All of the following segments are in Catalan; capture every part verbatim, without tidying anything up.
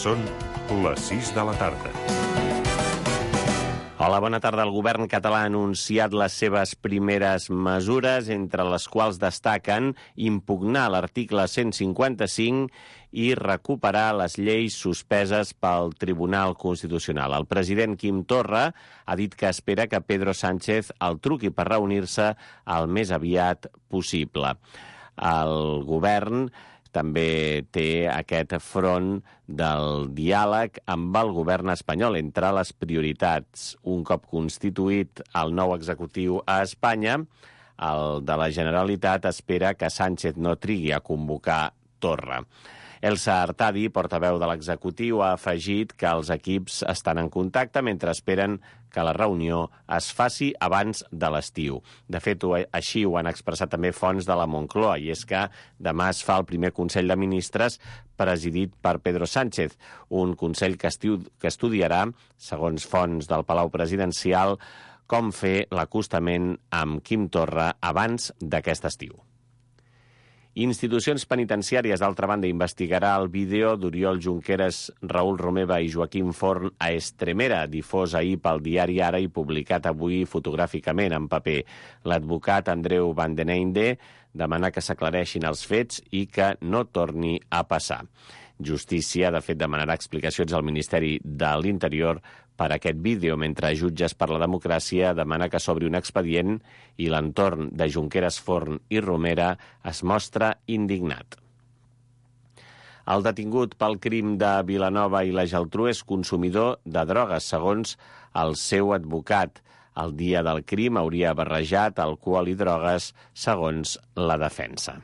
Són les sis de la tarda. Hola, bona tarda. El govern català ha anunciat les seves primeres mesures, entre les quals destaquen impugnar l'article cent cinquanta-cinc i recuperar les lleis suspeses pel Tribunal Constitucional. El president Quim Torra ha dit que espera que Pedro Sánchez el truqui per reunir-se el més aviat possible. El govern també té aquest front del diàleg amb el govern espanyol. Entre les prioritats, un cop constituït el nou executiu a Espanya, el de la Generalitat espera que Sánchez no trigui a convocar Torra. Elsa Artadi, portaveu de l'executiu, ha afegit que els equips estan en contacte mentre esperen que la reunió es faci abans de l'estiu. De fet, així ho han expressat també fonts de la Moncloa, i és que demà es fa el primer Consell de Ministres presidit per Pedro Sánchez, un Consell que, estiu, que estudiarà, segons fonts del Palau Presidencial, com fer l'acostament amb Quim Torra abans d'aquest estiu. Institucions penitenciàries, d'altra banda, investigarà el vídeo d'Oriol Junqueras, Raül Romeva i Joaquim Forn a Estremera, difós ahir pel diari Ara i publicat avui fotogràficament en paper. L'advocat Andreu Van den Einde demana que s'aclareixin els fets i que no torni a passar. Justícia, de fet, demanarà explicacions al Ministeri de l'Interior per aquest vídeo, mentre Jutges per la Democràcia demana que s'obri un expedient i l'entorn de Junqueras, Forn i Romera es mostra indignat. El detingut pel crim de Vilanova i la Geltrú és consumidor de drogues, segons el seu advocat. El dia del crim hauria barrejat alcohol i drogues, segons la defensa.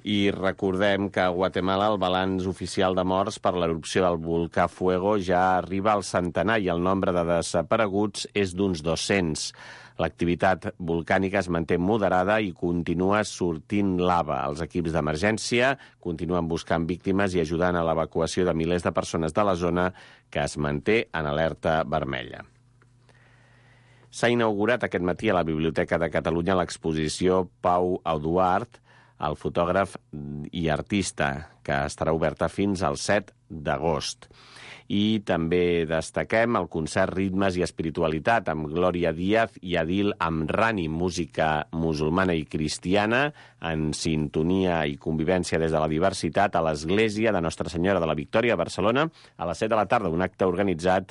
I recordem que a Guatemala el balanç oficial de morts per l'erupció del volcà Fuego ja arriba al centenar i el nombre de desapareguts és d'uns dos-cents. L'activitat volcànica es manté moderada i continua sortint lava. Els equips d'emergència continuen buscant víctimes i ajudant a l'evacuació de milers de persones de la zona, que es manté en alerta vermella. S'ha inaugurat aquest matí a la Biblioteca de Catalunya l'exposició Pau Eduard, el fotògraf i artista, que estarà oberta fins al set d'agost. I també destaquem el concert Ritmes i Espiritualitat amb Glòria Díaz i Adil Amrani, música musulmana i cristiana en sintonia i convivència des de la diversitat a l'Església de Nostra Senyora de la Victòria a Barcelona a les set de la tarda, un acte organitzat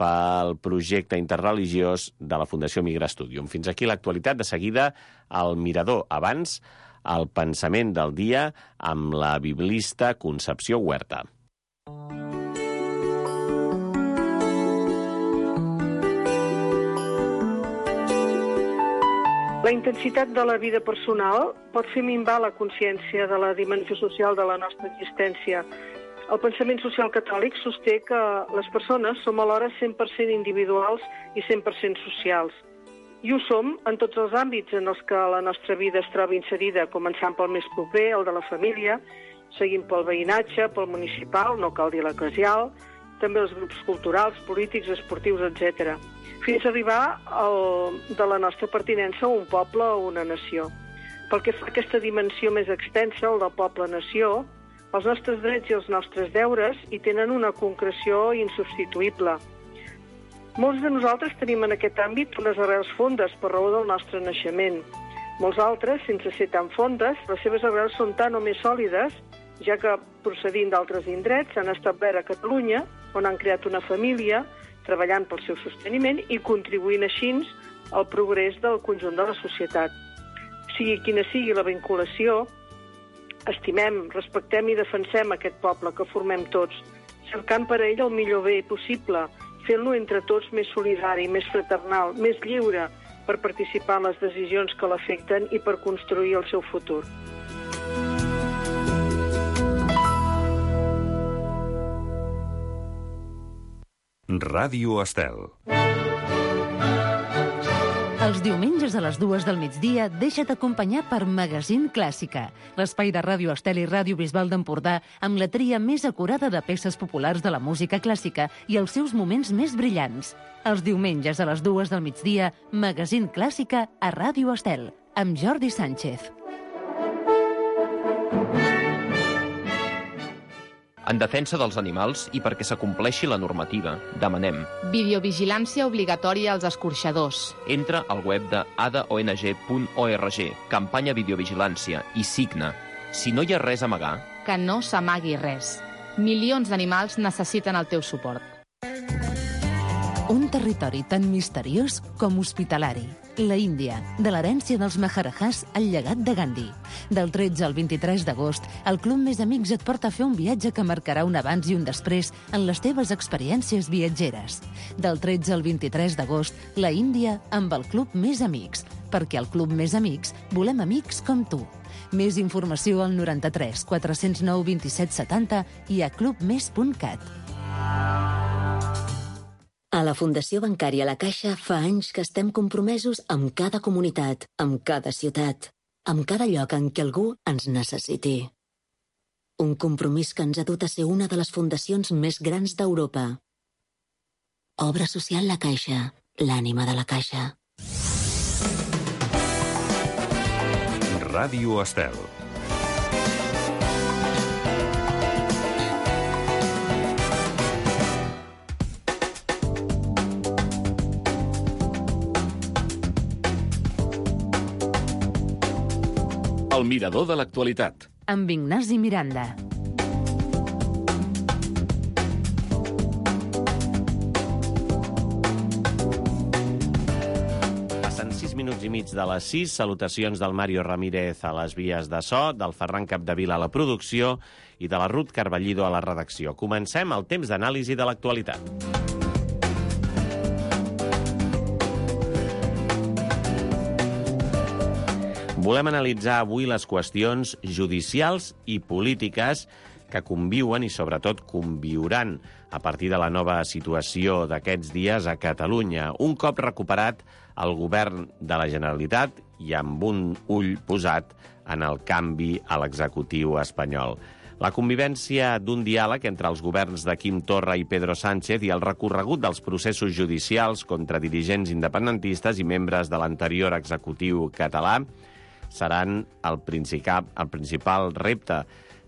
pel projecte interreligiós de la Fundació Migra Studium. Fins aquí l'actualitat. De seguida, al Mirador. Abans, el pensament del dia amb la biblista Concepció Huerta. La intensitat de la vida personal pot fer minvar la consciència de la dimensió social de la nostra existència. El pensament social catòlic sosté que les persones som alhora cent per cent individuals i cent per cent socials. I ho som en tots els àmbits en els que la nostra vida es troba inserida, començant pel més proper, el de la família, seguint pel veïnatge, pel municipal, no cal dir l'eclesial, també els grups culturals, polítics, esportius, etcètera, fins a arribar al de la nostra pertinença a un poble o una nació. Pel que fa a aquesta dimensió més extensa, el del poble-nació, els nostres drets i els nostres deures hi tenen una concreció insubstituïble. Molts de nosaltres tenim en aquest àmbit unes arrels fondes per raó del nostre naixement. Molts altres, sense ser tan fondes, les seves arrels són tan o més sòlides, ja que, procedint d'altres indrets, s'han establert a Catalunya, on han creat una família, treballant pel seu sosteniment i contribuint així al progrés del conjunt de la societat. Sigui quina sigui la vinculació, estimem, respectem i defensem aquest poble que formem tots, cercant per a ell el millor bé possible, fent-lo entre tots més solidari, més fraternal, més lliure per participar en les decisions que l'afecten i per construir el seu futur. Ràdio Estel. Els diumenges a les dues del migdia deixa't acompanyar per Magazín Clàssica, l'espai de Ràdio Estel i Ràdio Bisbal d'Empordà amb la tria més acurada de peces populars de la música clàssica i els seus moments més brillants. Els diumenges a les dues del migdia, Magazín Clàssica a Ràdio Estel, amb Jordi Sánchez. En defensa dels animals i perquè s'acompleixi la normativa, demanem videovigilància obligatòria als escorxadors. Entra al web de a d o n g punt org, campanya videovigilància, i signa. Si no hi ha res a amagar, Que no s'amagui res. Milions d'animals necessiten el teu suport. Un territori tan misteriós com hospitalari. La Índia, de l'herència dels Maharajahs al llegat de Gandhi. Del tretze al vint-i-tres d'agost, el Club Més Amics et porta a fer un viatge que marcarà un abans i un després en les teves experiències viatgeres. Del tretze al vint-i-tres d'agost, la Índia amb el Club Més Amics. Perquè al Club Més Amics volem amics com tu. Més informació al noranta-tres quatre-cents nou vint-i-set setanta i a clubmes punt cat. A la Fundació Bancària La Caixa fa anys que estem compromesos amb cada comunitat, amb cada ciutat, amb cada lloc en què algú ens necessiti. Un compromís que ens ha dut a ser una de les fundacions més grans d'Europa. Obra social La Caixa, l'ànima de la Caixa. Ràdio Estel. El mirador de l'actualitat. Amb Ignasi Miranda. Minuts i mig de les sis. Salutacions del Mario Ramírez a les vies de so, del Ferran Capdevila a la producció i de la Ruth Carballido a la redacció. Comencem el temps d'anàlisi de l'actualitat. Volem analitzar avui les qüestions judicials i polítiques que conviuen i, sobretot, conviuran a partir de la nova situació d'aquests dies a Catalunya. Un cop recuperat el govern de la Generalitat i amb un ull posat en el canvi a l'executiu espanyol. La convivència d'un diàleg entre els governs de Quim Torra i Pedro Sánchez i el recorregut dels processos judicials contra dirigents independentistes i membres de l'anterior executiu català seran el principal, el principal repte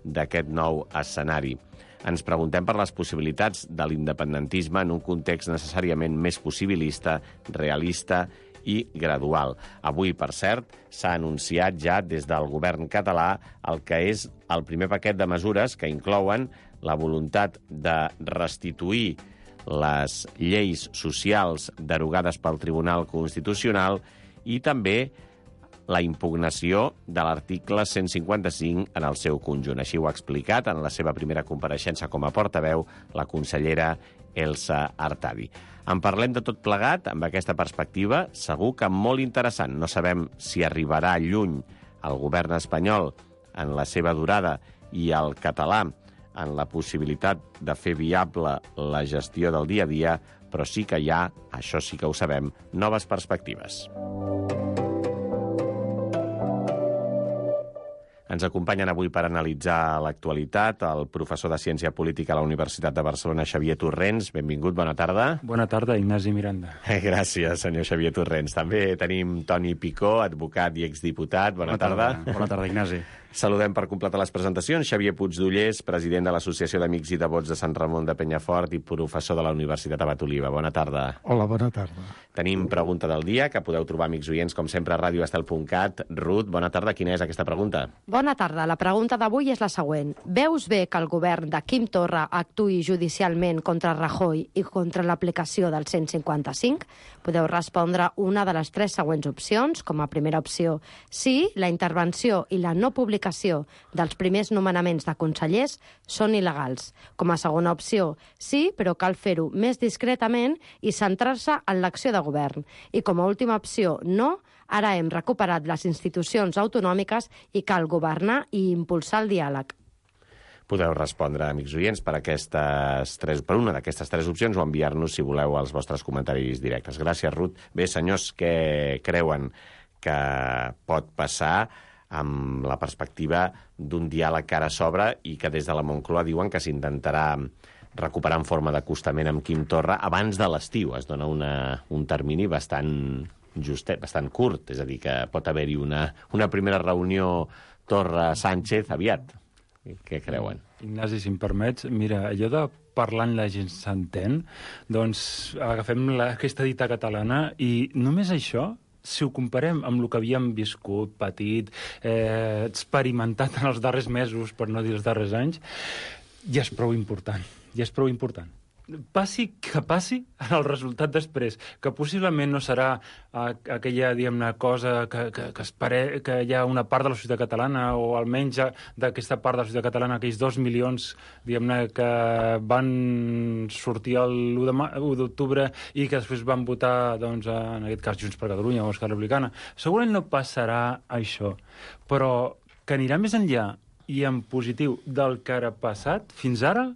d'aquest nou escenari. Ens preguntem per les possibilitats de l'independentisme en un context necessàriament més possibilista, realista i gradual. Avui, per cert, s'ha anunciat ja des del govern català el que és el primer paquet de mesures que inclouen la voluntat de restituir les lleis socials derogades pel Tribunal Constitucional i també la impugnació de l'article cent cinquanta-cinc en el seu conjunt. Així ho ha explicat en la seva primera compareixença com a portaveu la consellera Elsa Artadi. En parlem de tot plegat, amb aquesta perspectiva, segur que molt interessant. No sabem si arribarà lluny el govern espanyol en la seva durada i el català en la possibilitat de fer viable la gestió del dia a dia, però sí que hi ha, això sí que ho sabem, noves perspectives. Ens acompanyen avui per analitzar l'actualitat el professor de Ciència Política a la Universitat de Barcelona, Xavier Torrents. Benvingut, bona tarda. Bona tarda, Ignasi Miranda. Gràcies, senyor Xavier Torrents. També tenim Toni Picó, advocat i exdiputat. Bona, bona tarda. tarda. Bona tarda, Ignasi. Saludem per completar les presentacions Xavier Puigdollers, president de l'Associació d'Amics i Devots de Sant Ramon de Penyafort i professor de la Universitat Abat Oliva. Bona tarda. Hola, bona tarda. Tenim pregunta del dia, que podeu trobar, amics oients, com sempre, a radio estel punt cat. Ruth, bona tarda. Quina és aquesta pregunta? Bona tarda. La pregunta d'avui és la següent. Veus bé que el govern de Quim Torra actuï judicialment contra Rajoy i contra l'aplicació del cent cinquanta-cinc? Podeu respondre una de les tres següents opcions. Com a primera opció, sí, la intervenció i la no publicació dels primers nomenaments de consellers són il·legals. Com a segona opció, sí, però cal fer-ho més discretament i centrar-se en l'acció de govern. I com a última opció, no, ara hem recuperat les institucions autonòmiques i cal governar i impulsar el diàleg. Podeu respondre, amics oients, per, aquestes tres, per una d'aquestes tres opcions o enviar-nos, si voleu, els vostres comentaris directes. Gràcies, Ruth. Bé, senyors, què creuen que pot passar amb la perspectiva d'un diàleg que ara s'obre i que des de la Moncloa diuen que s'intentarà recuperar en forma d'acostament amb Quim Torra abans de l'estiu? Es dona una, un termini bastant justet, bastant curt, és a dir, que pot haver-hi una, una primera reunió Torra-Sánchez aviat. què creuen? Ignasi, si em permets, mira, allò de parlant la gent s'entén, doncs agafem la, aquesta dita catalana i només això, si ho comparem amb el que havíem viscut, patit, eh, experimentat en els darrers mesos, per no dir els darrers anys, ja és prou important, ja és prou important. Passi que passi en el resultat després, que possiblement no serà uh, aquella, diguem-ne, cosa que, que, que, espere, que hi ha una part de la societat catalana, o almenys d'aquesta part de la societat catalana, aquells dos milions, diguem-ne, que van sortir l'u d'octubre i que després van votar, doncs, en aquest cas, Junts per Catalunya o Esquerra Republicana. Segurament no passarà això, però que anirà més enllà i en positiu del que ara passat fins ara,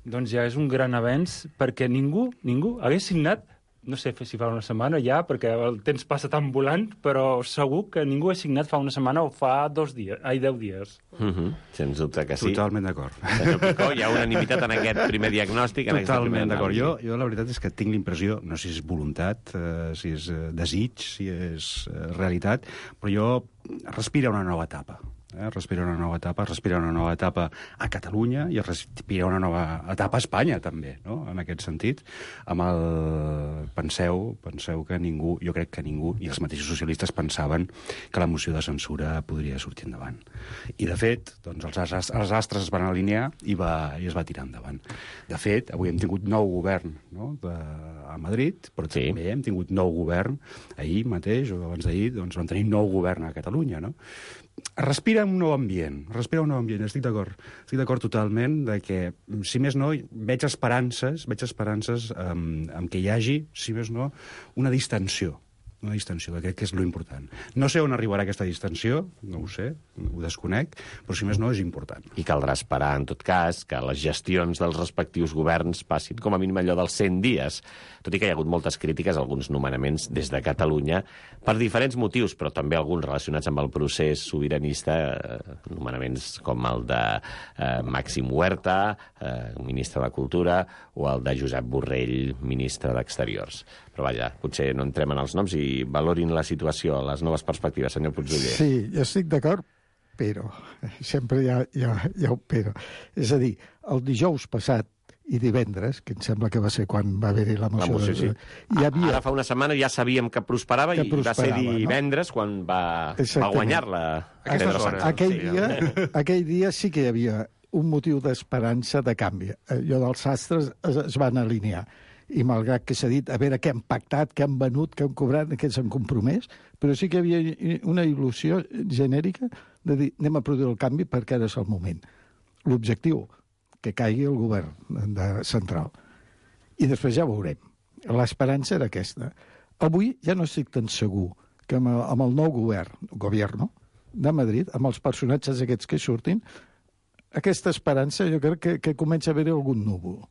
doncs ja és un gran avenç, perquè ningú, ningú hagués signat, no sé si fa una setmana ja, perquè el temps passa tan volant, però segur que ningú ha signat fa una setmana o fa dos dies, ai, deu dies. Uh-huh. Sens dubte que sí. Totalment d'acord. Senyor Picó, hi ha unanimitat en aquest primer diagnòstic, en Totalment d'acord. Jo, anàlisi. jo la veritat és que tinc l'impressió, no sé si és voluntat, eh, si és eh, desig, si és eh, realitat, però jo respira una nova etapa. Eh? Respira una nova etapa, respira una nova etapa a Catalunya i respira una nova etapa a Espanya, també, no? En aquest sentit. Amb el... Penseu, penseu que ningú, jo crec que ningú, i els mateixos socialistes pensaven que la moció de censura podria sortir endavant. I, de fet, doncs, els, astres, els astres es van alinear i, va, i es va tirar endavant. De fet, avui hem tingut nou govern, no? de, a Madrid, però sí. també hem tingut nou govern ahir mateix, o abans d'ahir, doncs vam tenir nou govern a Catalunya, no? Respira un nou ambient, respira un nou ambient, estic d'acord. Estic d'acord totalment de que, si més no, veig esperances, veig esperances amb, amb que hi hagi, si més no, una distensió. Una distensió, que crec que és l'important. No sé on arribarà aquesta distensió, no ho sé, ho desconec, però si més no és important. I caldrà esperar, en tot cas, que les gestions dels respectius governs passin com a mínim allò dels cent dies, tot i que hi ha hagut moltes crítiques a alguns nomenaments des de Catalunya, per diferents motius, però també alguns relacionats amb el procés sobiranista, eh, nomenaments com el de eh, Màxim Huerta, eh, ministre de Cultura, o el de Josep Borrell, ministre d'Exteriors. Però vaja, potser no entrem en els noms i valorin la situació, les noves perspectives, senyor Puigdoller. Sí, jo estic d'acord, però sempre hi ha, hi, ha, hi ha un però. És a dir, el dijous passat i divendres, que em sembla que va ser quan va haver-hi la moció... La moció, sí. Hi havia... Ara fa una setmana ja sabíem que prosperava que i prosperava, va ser divendres, no? Quan va, va guanyar-la. Aquell dia, aquell dia sí que hi havia un motiu d'esperança de canvi. Allò dels astres es, es van alinear. I malgrat que s'ha dit a veure què han pactat, què han venut, què han cobrat, què s'han compromès, però sí que hi havia una il·lusió genèrica de dir anem a produir el canvi perquè ara és el moment. L'objectiu, que caigui el govern de central. I després ja veurem. L'esperança era aquesta. Avui ja no estic tan segur que amb el, amb el nou govern, govern de Madrid, amb els personatges aquests que surtin, aquesta esperança jo crec que, que comença a haver-hi algun núvol.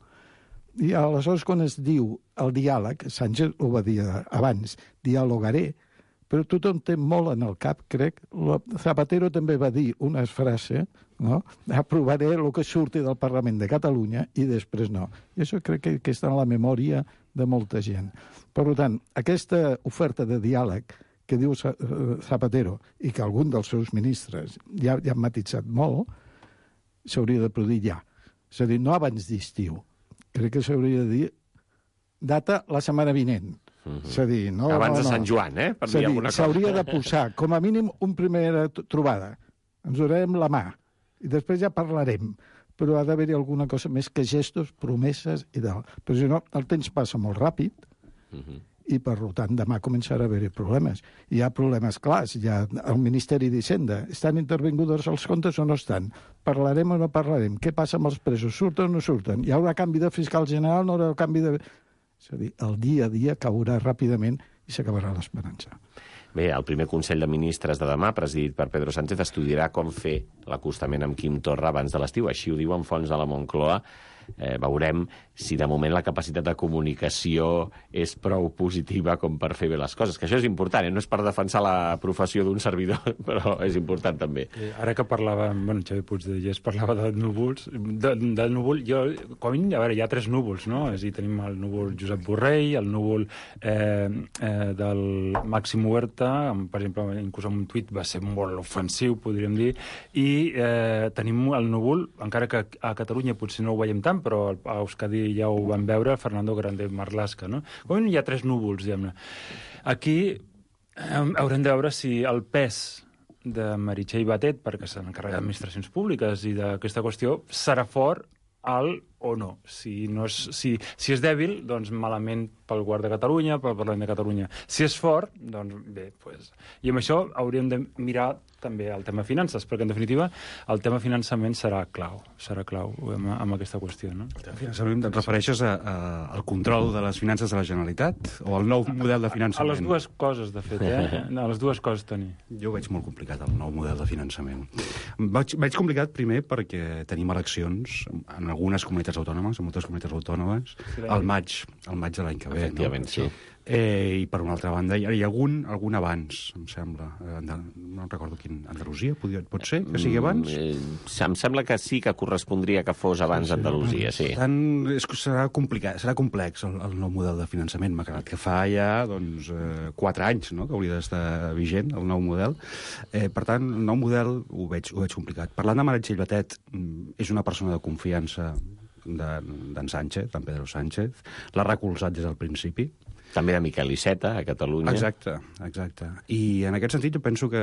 I aleshores, quan es diu el diàleg, Sánchez ho va dir abans, dialogaré, però tothom té molt en el cap, crec. Zapatero també va dir una frase, no? Aprovaré el que surti del Parlament de Catalunya i després no. I això crec que, que està en la memòria de molta gent. Per tant, aquesta oferta de diàleg que diu Zapatero i que algun dels seus ministres ja, ja han matitzat molt, s'hauria de produir ja. És a dir, no abans d'estiu. Crec que s'hauria de dir data la setmana vinent. Uh-huh. És a dir, no, abans no, no. de Sant Joan, eh? Per dir alguna cosa. S'hauria de posar, com a mínim, una primera trobada. Ens donarem la mà. I després ja parlarem. Però ha d'haver-hi alguna cosa més que gestos, promeses i tal. Però si no, el temps passa molt ràpid uh-huh. i, per tant, demà començarà a haver-hi problemes. Hi ha problemes clars. Hi ha el Ministeri d'Hisenda. Estan intervinguts els comptes o no estan? Parlarem o no parlarem? Què passa amb els presos? Surten o no surten? Hi haurà canvi de fiscal general? No haurà canvi de... És a dir, el dia a dia caurà ràpidament i s'acabarà l'esperança. Bé, el primer Consell de Ministres de demà, presidit per Pedro Sánchez, estudiarà com fer l'acostament amb Quim Torra abans de l'estiu. Així ho diuen fonts de la Moncloa. eh, veurem si de moment la capacitat de comunicació és prou positiva com per fer bé les coses, que això és important, eh? No és per defensar la professió d'un servidor, però és important també. Eh, ara que parlàvem, bueno, Xavi Puigdellés parlava de núvols, de, de núvol, jo, com, a veure, hi ha tres núvols, no? És a dir, tenim el núvol Josep Borrell, el núvol eh, eh, del Màxim Huerta, per exemple, inclús en un tuit va ser molt ofensiu, podríem dir, i eh, tenim el núvol, encara que a Catalunya potser no ho veiem tant, però a Euskadi ja ho vam veure, Fernando Grande Marlaska, no? Com hi ha tres núvols, diguem-ne. Aquí eh, haurem de veure si el pes de Meritxell Batet, perquè se n'encarrega d'administracions públiques i d'aquesta qüestió, serà fort alt o no. Si, no és, si, si és dèbil, doncs malament pel Govern de Catalunya, pel Parlament de Catalunya. Si és fort, doncs bé. Pues... I amb això hauríem de mirar també el tema finances, perquè en definitiva el tema finançament serà clau, serà clau amb, amb aquesta qüestió. No? El tema finançament et refereixes a, a, al control de les finances de la Generalitat o al nou model de finançament? A les dues coses, de fet, eh? A les dues coses, Toni. Jo ho veig molt complicat, el nou model de finançament. Veig, veig complicat primer perquè tenim eleccions en algunes comunitats autònomes, en moltes comunitats autònomes, sí, al maig, al maig de l'any que ve. Efectivament, no? Sí. Eh, I per una altra banda, hi ha, hi ha algun, algun abans, em sembla. Eh, no recordo quin. Andalusia, pot, pot ser que sigui abans? Mm, eh, em sembla que sí, que correspondria que fos abans sí, sí, Andalusia, sí. Per tant, és, serà complicat, serà complex el, el nou model de finançament. M'ha quedat que fa ja doncs, eh, quatre anys, no?, que hauria d'estar vigent, el nou model. Eh, per tant, el nou model ho veig, ho veig complicat. Parlant de Meritxell Batet, és una persona de confiança d'en Sánchez, d'en Pedro Sánchez. L'ha recolzat des del principi. També de Miquel Iceta, a Catalunya. Exacte, exacte. I en aquest sentit jo penso que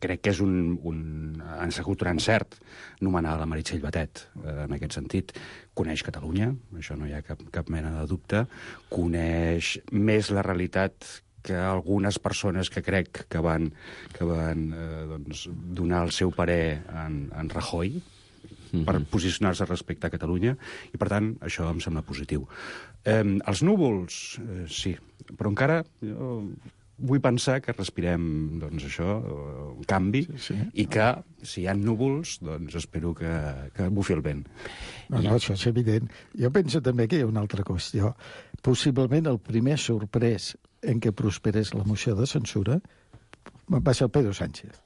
crec que és un... un ha sigut un encert nomenar la Meritxell Batet, eh, en aquest sentit. Coneix Catalunya, això no hi ha cap, cap mena de dubte. Coneix més la realitat que algunes persones que crec que van, que van eh, doncs, donar el seu parer en, en Rajoy, per posicionar-se respecte a Catalunya, i, per tant, això em sembla positiu. Eh, els núvols, eh, sí, però encara jo vull pensar que respirem, doncs, això, un canvi, sí, sí. I que, si hi ha núvols, doncs espero que, que bufi el vent. No, no, això és evident. Jo penso també que hi ha una altra qüestió. Possiblement el primer sorprès en què prosperés la moció de censura va ser el Pedro Sánchez.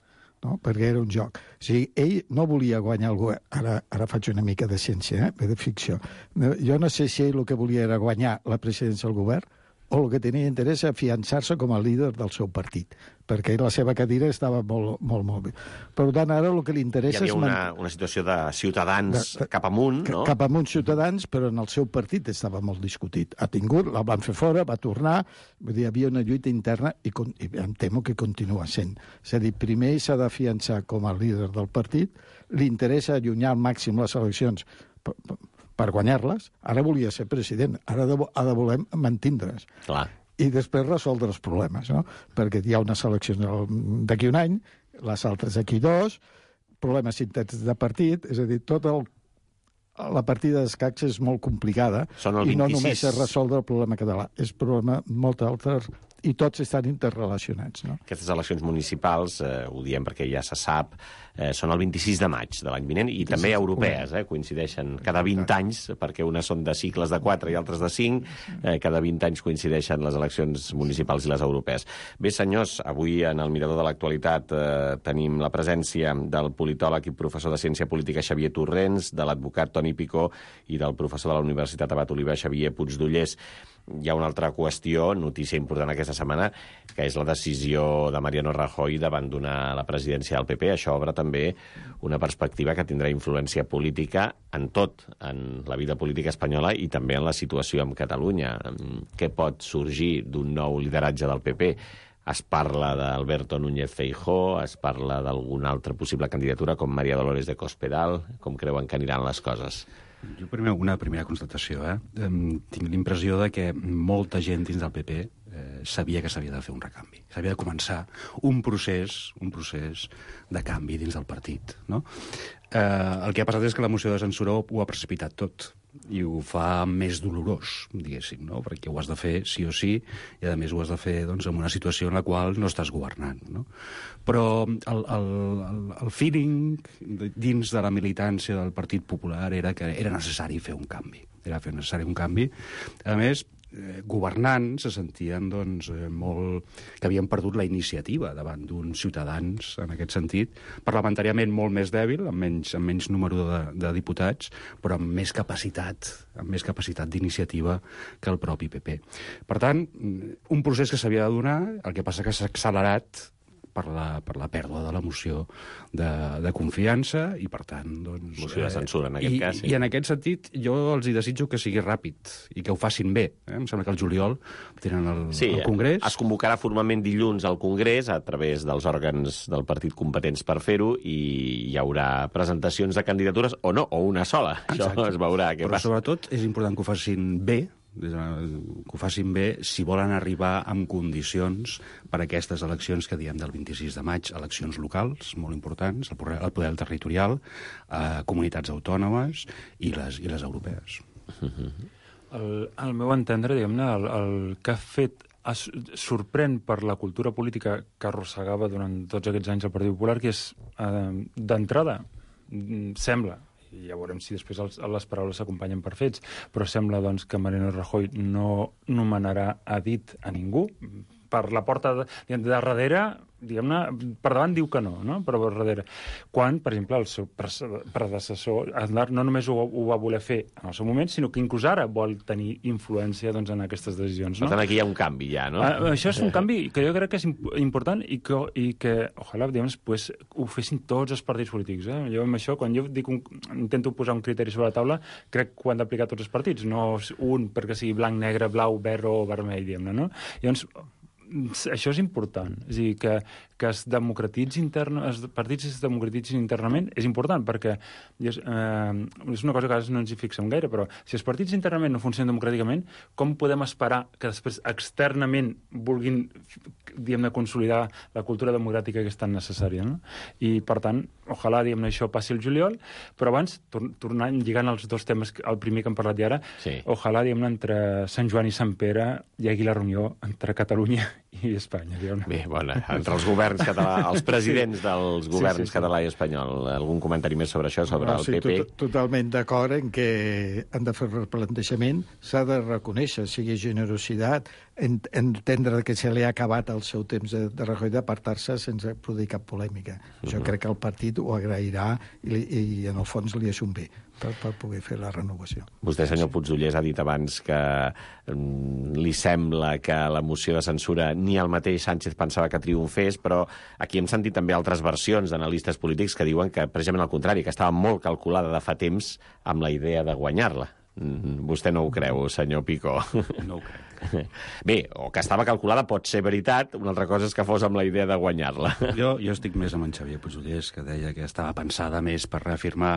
No? Perquè era un joc. O sigui, ell no volia guanyar el govern. Ara, ara faig una mica de ciència, eh? de ficció. Jo no sé si ell el que volia era guanyar la presidència del govern o el que tenia interès a afiançar-se com a líder del seu partit, perquè la seva cadira estava molt, molt, molt bé. Per tant, ara el que li interessa és... Hi havia una, una situació de ciutadans de, de, cap amunt, no? Cap amunt ciutadans, però en el seu partit estava molt discutit. Ha tingut, la van fer fora, va tornar, vull dir, hi havia una lluita interna i, i em temo que continua sent. És a dir, primer s'ha d'afiançar com a líder del partit, li interessa allunyar al màxim les eleccions per, per guanyar-les. Ara volia ser president, ara de, ha de voler mantindre's. Clar. I després resoldre els problemes, no? Perquè hi ha unes eleccions d'aquí un any, les altres d'aquí dos, problemes interns de partit, és a dir, tot el la partida d'escacs és molt complicada i no només és resoldre el problema català, és problema molt altre i tots estan interrelacionats. No? Aquestes eleccions municipals, eh, ho diem perquè ja se sap, eh, són el vint-i-sis de maig de l'any vinent i també europees, eh, coincideixen cada vint anys, perquè unes són de cicles de quatre i altres de cinc, eh, cada vint anys coincideixen les eleccions municipals i les europees. Bé, senyors, avui en el Mirador de l'Actualitat eh, tenim la presència del politòleg i professor de Ciència Política Xavier Torrents, de l'advocat Toni Picó i del professor de la Universitat Abat Oliver Xavier Puigdollers. Hi ha una altra qüestió, notícia important aquesta setmana, que és la decisió de Mariano Rajoy d'abandonar la presidència del P P. Això obre també una perspectiva que tindrà influència política en tot, en la vida política espanyola i també en la situació amb Catalunya. Què pot sorgir d'un nou lideratge del P P? Es parla d'Alberto Núñez Feijóo, es parla d'alguna altra possible candidatura com María Dolores de Cospedal. Com creuen que aniran les coses? Jo primer, una primera constatació. Eh? Tinc l'impressió de que molta gent dins del P P eh, sabia que s'havia de fer un recanvi. S'havia de començar un procés, un procés de canvi dins del partit. No? Eh, el que ha passat és que la moció de censura ho ha precipitat tot i ho fa més dolorós, diguéssim, no? Perquè ho has de fer sí o sí i, a més, ho has de fer doncs, en una situació en la qual no estàs governant, no? Però el, el, el, el feeling dins de la militància del Partit Popular era que era necessari fer un canvi. Era fer necessari un canvi. A més, eh, governant se sentien doncs, eh, molt... que havien perdut la iniciativa davant d'uns ciutadans, en aquest sentit, parlamentàriament molt més dèbil, amb menys, amb menys número de, de diputats, però amb més capacitat, amb més capacitat d'iniciativa que el propi P P. Per tant, un procés que s'havia de donar, el que passa que s'ha accelerat per la, per la pèrdua de la moció de, de confiança i, per tant, doncs... Moció de censura, en aquest i, cas. Sí. I en aquest sentit, jo els hi desitjo que sigui ràpid i que ho facin bé. Eh? Em sembla que el juliol tenen el, sí, el Congrés. Es convocarà formalment dilluns al Congrés a través dels òrgans del partit competents per fer-ho i hi haurà presentacions de candidatures o no, o una sola. Exacte. Això es veurà què Però passa. sobretot és important que ho facin bé, que ho facin bé si volen arribar amb condicions per a aquestes eleccions que diem del vint-i-sis de maig, eleccions locals molt importants, el poder, el poder territorial, eh, comunitats autònomes i les, i les europees. El, al meu entendre, diguem-ne, el, el que ha fet es sorprèn per la cultura política que arrossegava durant tots aquests anys el Partit Popular, que és, eh, d'entrada, sembla, i ja veurem si després els, les paraules s'acompanyen per fets, però sembla doncs, que Mariano Rajoy no nomenarà a dit a ningú. Per la porta de, de darrere, diguem-ne, per davant diu que no, no? Però per darrere. Quan, per exemple, el seu predecessor Aznar no només ho, ho va voler fer en el seu moment, sinó que inclús ara vol tenir influència doncs, en aquestes decisions. No? Per tant, aquí hi ha un canvi ja, no? Uh, això és un canvi que jo crec que és imp important i que, i que ojalà, diguem, pues, ho fessin tots els partits polítics. Eh? Jo amb això, quan jo dic un, intento posar un criteri sobre la taula, crec que ho han d'aplicar tots els partits, no un perquè sigui blanc, negre, blau, verd o vermell, diguem-ne, no? Llavors, això és important, és a dir, que, que es democratitzi intern, els partits es democratitzin internament és important, perquè és, eh, és una cosa que a vegades no ens hi fixem gaire, però si els partits internament no funcionen democràticament, com podem esperar que després externament vulguin, diguem-ne, consolidar la cultura democràtica que és tan necessària, no? I, per tant, ojalà, diguem-ne, això passi el juliol, però abans, tor tornant, lligant els dos temes, el primer que hem parlat ja ara, sí. Ojalà, diguem-ne, entre Sant Joan i Sant Pere hi hagi la reunió entre Catalunya i Espanya, diguem-ne. Bé, bona, entre els governs català, els presidents dels governs sí, sí, sí. català i espanyol. Algun comentari més sobre això, sobre no, el sí, P P? Tot, totalment d'acord en que han de fer el replantejament, s'ha de reconèixer, sigui generositat, entendre que se li ha acabat el seu temps de, de Rajoy d'apartar-se sense produir cap polèmica. Uh-huh. Jo crec que el partit ho agrairà i, i en el fons li és un bé per, per poder fer la renovació. Vostè, senyor Puigdollers, ha dit abans que um, li sembla que la moció de censura ni el mateix Sánchez pensava que triomfés, però aquí hem sentit també altres versions d'analistes polítics que diuen que, precisament al contrari, que estava molt calculada de fa temps amb la idea de guanyar-la. Vostè no ho creu, senyor Picó? No ho crec. Bé, o que estava calculada pot ser veritat, una altra cosa és que fos amb la idea de guanyar-la. Jo, jo estic més amb en Xavier Puigdollers, que deia que estava pensada més per reafirmar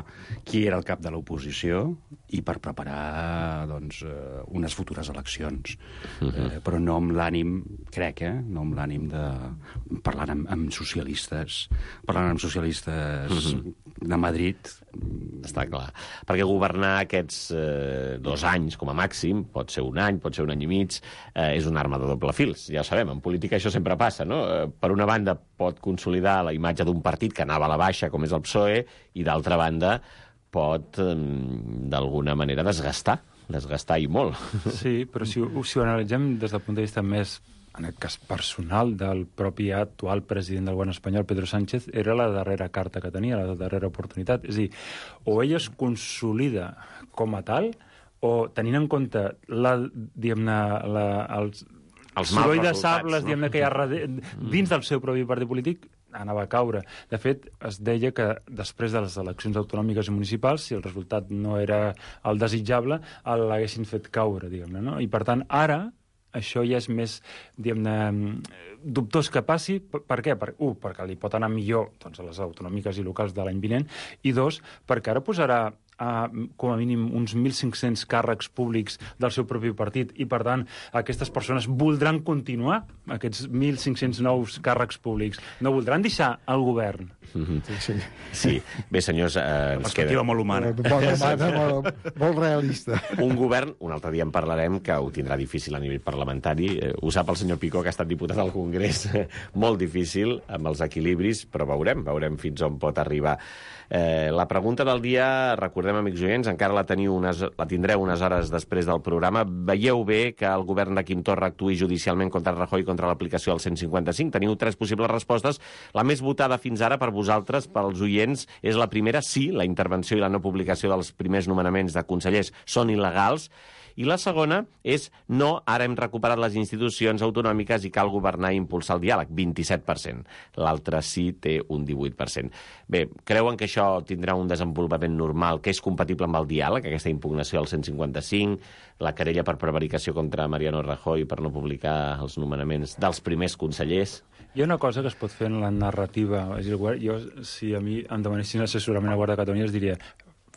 qui era el cap de l'oposició i per preparar doncs, unes futures eleccions. Uh-huh. eh, però no amb l'ànim, crec, eh? no amb l'ànim de parlar amb, amb socialistes, parlant amb socialistes uh-huh. de Madrid. Està clar. Perquè governar aquests eh, dos anys, com a màxim, pot ser un any, pot ser un any i mig, eh, és una arma de doble fils. Ja ho sabem, en política això sempre passa, no? Eh, per una banda pot consolidar la imatge d'un partit que anava a la baixa, com és el P S O E, i d'altra banda pot, eh, d'alguna manera, desgastar, desgastar i molt. Sí, però si, si ho analitzem des del punt de vista més, en el cas personal del propi actual president del govern espanyol, Pedro Sánchez, era la darrera carta que tenia, la darrera oportunitat. És a dir, o ell es consolida com a tal, o tenint en compte la, diguem-ne, la, els, els soroll de sables, no? Diguem-ne, que hi ha dins del seu propi partit polític, anava a caure. De fet, es deia que després de les eleccions autonòmiques i municipals, si el resultat no era el desitjable, l'haguessin fet caure, diguem-ne, no? I, per tant, ara, això ja és més, diguem-ne, dubtós que passi. Per, per què? Per, un, perquè li pot anar millor doncs, a les autonòmiques i locals de l'any vinent, i dos, perquè ara posarà a, com a mínim uns mil cinc-cents càrrecs públics del seu propi partit i, per tant, aquestes persones voldran continuar aquests mil cinc-cents nous càrrecs públics. No voldran deixar el govern. Mm-hmm. Sí. sí. Bé, senyors, eh, ens queda... molt humana. Molt humana, molt, molt realista. Un govern, un altre dia en parlarem, que ho tindrà difícil a nivell parlamentari. Eh, ho sap el senyor Picó, que ha estat diputat al Congrés. Molt difícil, amb els equilibris, però veurem, veurem fins on pot arribar. Eh, la pregunta del dia, recordem, amics oients, encara la, teniu unes, la tindreu unes hores després del programa. Veieu bé que el govern de Quim Torra actuï judicialment contra Rajoy contra l'aplicació del cent cinquanta-cinc? Teniu tres possibles respostes. La més votada fins ara per vosaltres, pels oients, és la primera: sí, la intervenció i la no publicació dels primers nomenaments de consellers són il·legals. I la segona és no, ara hem recuperat les institucions autonòmiques i cal governar i impulsar el diàleg, vint-i-set per cent. L'altre sí té un divuit per cent. Bé, creuen que això tindrà un desenvolupament normal, que és compatible amb el diàleg, aquesta impugnació del cent cinquanta-cinc, la querella per prevaricació contra Mariano Rajoy per no publicar els nomenaments dels primers consellers? Hi ha una cosa que es pot fer en la narrativa. És a dir, jo, si a mi em demanessin assessorament a Guàrdia de Catalunya, es diria: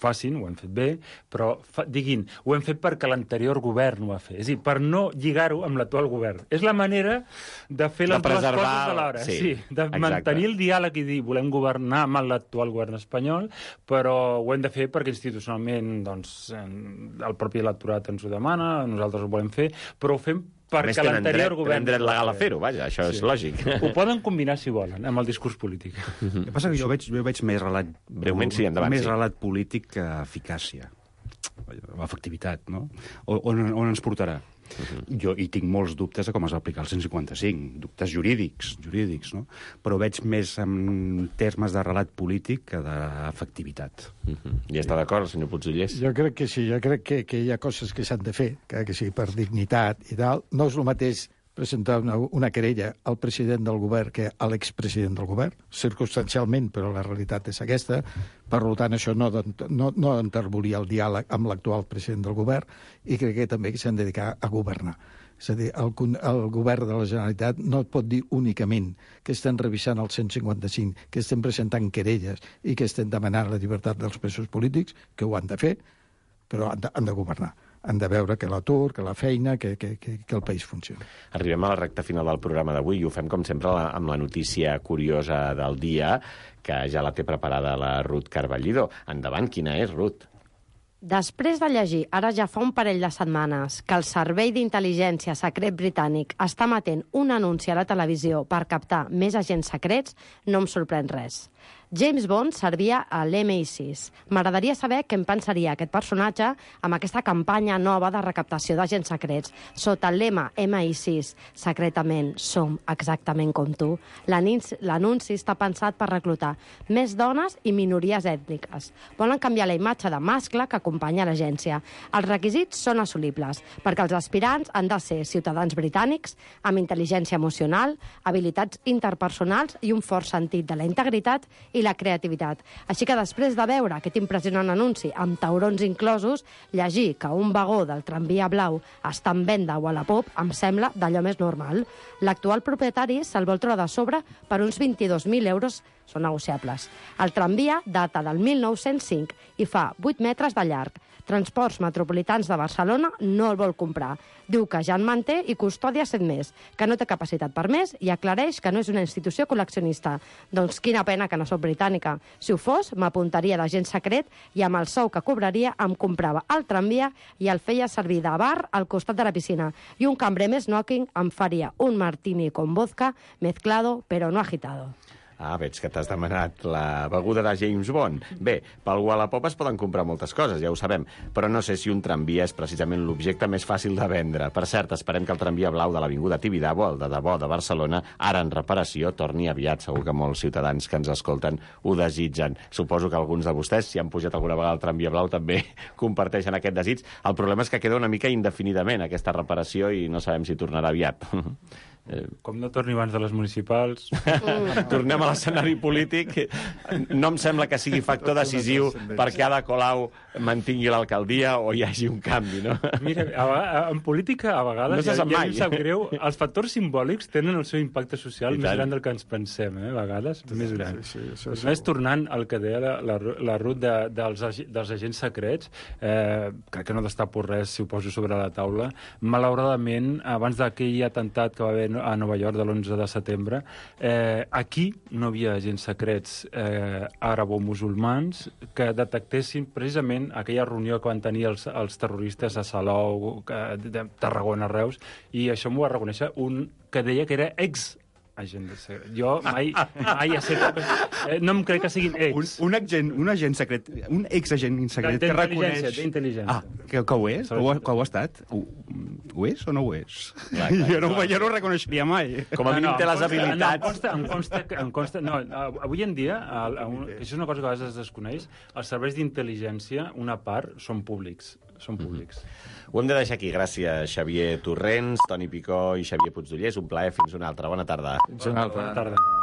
facin, ho hem fet bé, però fa, diguin, ho hem fet perquè l'anterior govern ho va fer. És a dir, per no lligar-ho amb l'actual govern. És la manera de fer les dues coses alhora. Sí, sí, de exacte. Mantenir el diàleg i dir, volem governar amb l'actual govern espanyol, però ho hem de fer perquè institucionalment doncs, el propi electorat ens ho demana, nosaltres ho volem fer, però ho fem perquè l'anterior govern... Tenen dret legal a fer-ho, vaja, això sí. És lògic. Ho poden combinar, si volen, amb el discurs polític. El que passa que jo veig, jo veig més relat... Breument, sí, endavant, més sí. relat polític que eficàcia, efectivitat, no? On, on ens portarà? Uh-huh. Jo hi tinc molts dubtes de com es va aplicar el cent cinquanta-cinc, dubtes jurídics, jurídics, no? Però veig més en termes de relat polític que d'efectivitat. Uh-huh. I està d'acord, senyor Puigdellers? Jo crec que sí, jo crec que, que hi ha coses que s'han de fer, que, que sí, per dignitat i tal. No és el mateix presentar una, una querella al president del govern que a l'expresident del govern, circumstancialment, però la realitat és aquesta. Per tant, això no, no, no enterbolia el diàleg amb l'actual president del govern i crec que també s'han de dedicar a governar. És a dir, el, el govern de la Generalitat no pot dir únicament que estem revisant el cent cinquanta-cinc, que estem presentant querelles i que estem demanant la llibertat dels presos polítics, que ho han de fer, però han de, han de governar. Han de veure que l'atur, que la feina, que, que, que, que el país funcioni. Arribem a la recta final del programa d'avui i ho fem, com sempre, la, amb la notícia curiosa del dia, que ja la té preparada la Ruth Carballido. Endavant, quina és, Ruth? Després de llegir, ara ja fa un parell de setmanes, que el Servei d'Intel·ligència Secret Britànic està emetent un anunci a la televisió per captar més agents secrets, no em sorprèn res. James Bond servia a l'M I sis. M'agradaria saber què en pensaria aquest personatge amb aquesta campanya nova de recaptació d'agents secrets. Sota el lema M I sis, secretament som exactament com tu, l'anunci està pensat per reclutar més dones i minories ètniques. Volen canviar la imatge de mascle que acompanya l'agència. Els requisits són assolibles, perquè els aspirants han de ser ciutadans britànics amb intel·ligència emocional, habilitats interpersonals i un fort sentit de la integritat i la creativitat. Així que després de veure aquest impressionant anunci amb taurons inclosos, llegir que un vagó del tramvia blau està en venda o a la pop em sembla d'allò més normal. L'actual propietari se'l vol treure de sobre per uns vint-i-dos mil euros, són negociables. El tramvia data del mil nou-cents cinc i fa vuit metres de llarg. Transports Metropolitans de Barcelona no el vol comprar. Diu que ja en manté i custodia set més, que no té capacitat per més i aclareix que no és una institució col·leccionista. Doncs quina pena que no soc britànica. Si ho fos, m'apuntaria d'agent secret i amb el sou que cobraria em comprava el tramvia i el feia servir de bar al costat de la piscina. I un cambrer més knocking em faria un martini con vodka mezclado pero no agitado. Ah, veig que t'has demanat la beguda de James Bond. Bé, pel Wallapop es poden comprar moltes coses, ja ho sabem, però no sé si un tramvia és precisament l'objecte més fàcil de vendre. Per cert, esperem que el tramvia blau de l'Avinguda Tibidabo, el de debò de Barcelona, ara en reparació, torni aviat. Segur que molts ciutadans que ens escolten ho desitgen. Suposo que alguns de vostès, si han pujat alguna vegada al tramvia blau, també comparteixen aquest desig. El problema és que queda una mica indefinidament aquesta reparació i no sabem si tornarà aviat. Com no torni abans de les municipals... Tornem a l'escenari polític. No em sembla que sigui factor decisiu perquè Ada Colau mantingui l'alcaldia o hi hagi un canvi, no? Mira, a, a, en política, a vegades, no ja, ja mai. em sap greu, els factors simbòlics tenen el seu impacte social més gran del que ens pensem, eh? A vegades, sí, més gran. Sí, sí, sí, més tornant al que deia la, la, la Ruth de, dels, dels agents secrets, eh, crec que no destapo res si ho poso sobre la taula. Malauradament, abans d'aquell atemptat que va haver a Nova York de l'onze de setembre, eh, aquí no hi havia agents secrets eh, arabo-musulmans que detectessin precisament aquella reunió que van tenir els, els terroristes a Salou, que, de Tarragona, Reus, i això m'ho va reconèixer un que deia que era ex agent de secret. Jo mai, mai he set... Eh, no em crec que siguin ex. Un, un, agent, un agent secret, un ex-agent secret que reconeix... D'intel·ligència. Ah, que, que ho és? Que ho, que ho ha estat? Ho, ho és o no ho és? Clar, clar, jo, no, jo no ho reconeixeria mai. Com a mínim no, no, té les habilitats. No, em consta, em consta, em consta, no, avui en dia, el, el, això és una cosa que a vegades es desconeix, els serveis d'intel·ligència, una part, són públics. Són públics. Mm-hmm. Ho hem de deixar aquí. Gràcies, Xavier Torrents, Toni Picó i Xavier Puigdollers. Un plaer. Fins una altra. Bona tarda. Fins una altra. Bona tarda.